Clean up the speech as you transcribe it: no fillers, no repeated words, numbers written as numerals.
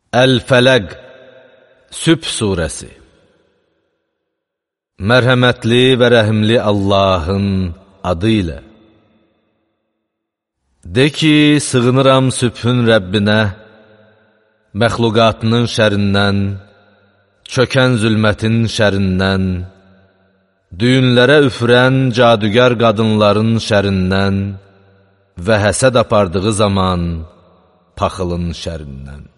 Əl-Fələq Sübh surəsi. Mərhəmətli və rəhimli Allahın adı ilə. De ki, sığınıram sübhün Rəbbinə, məxluqatının şərindən, çökən zülmətin şərindən, düyünlərə üfürən cadügər qadınların şərindən və həsəd apardığı zaman paxılın şərindən.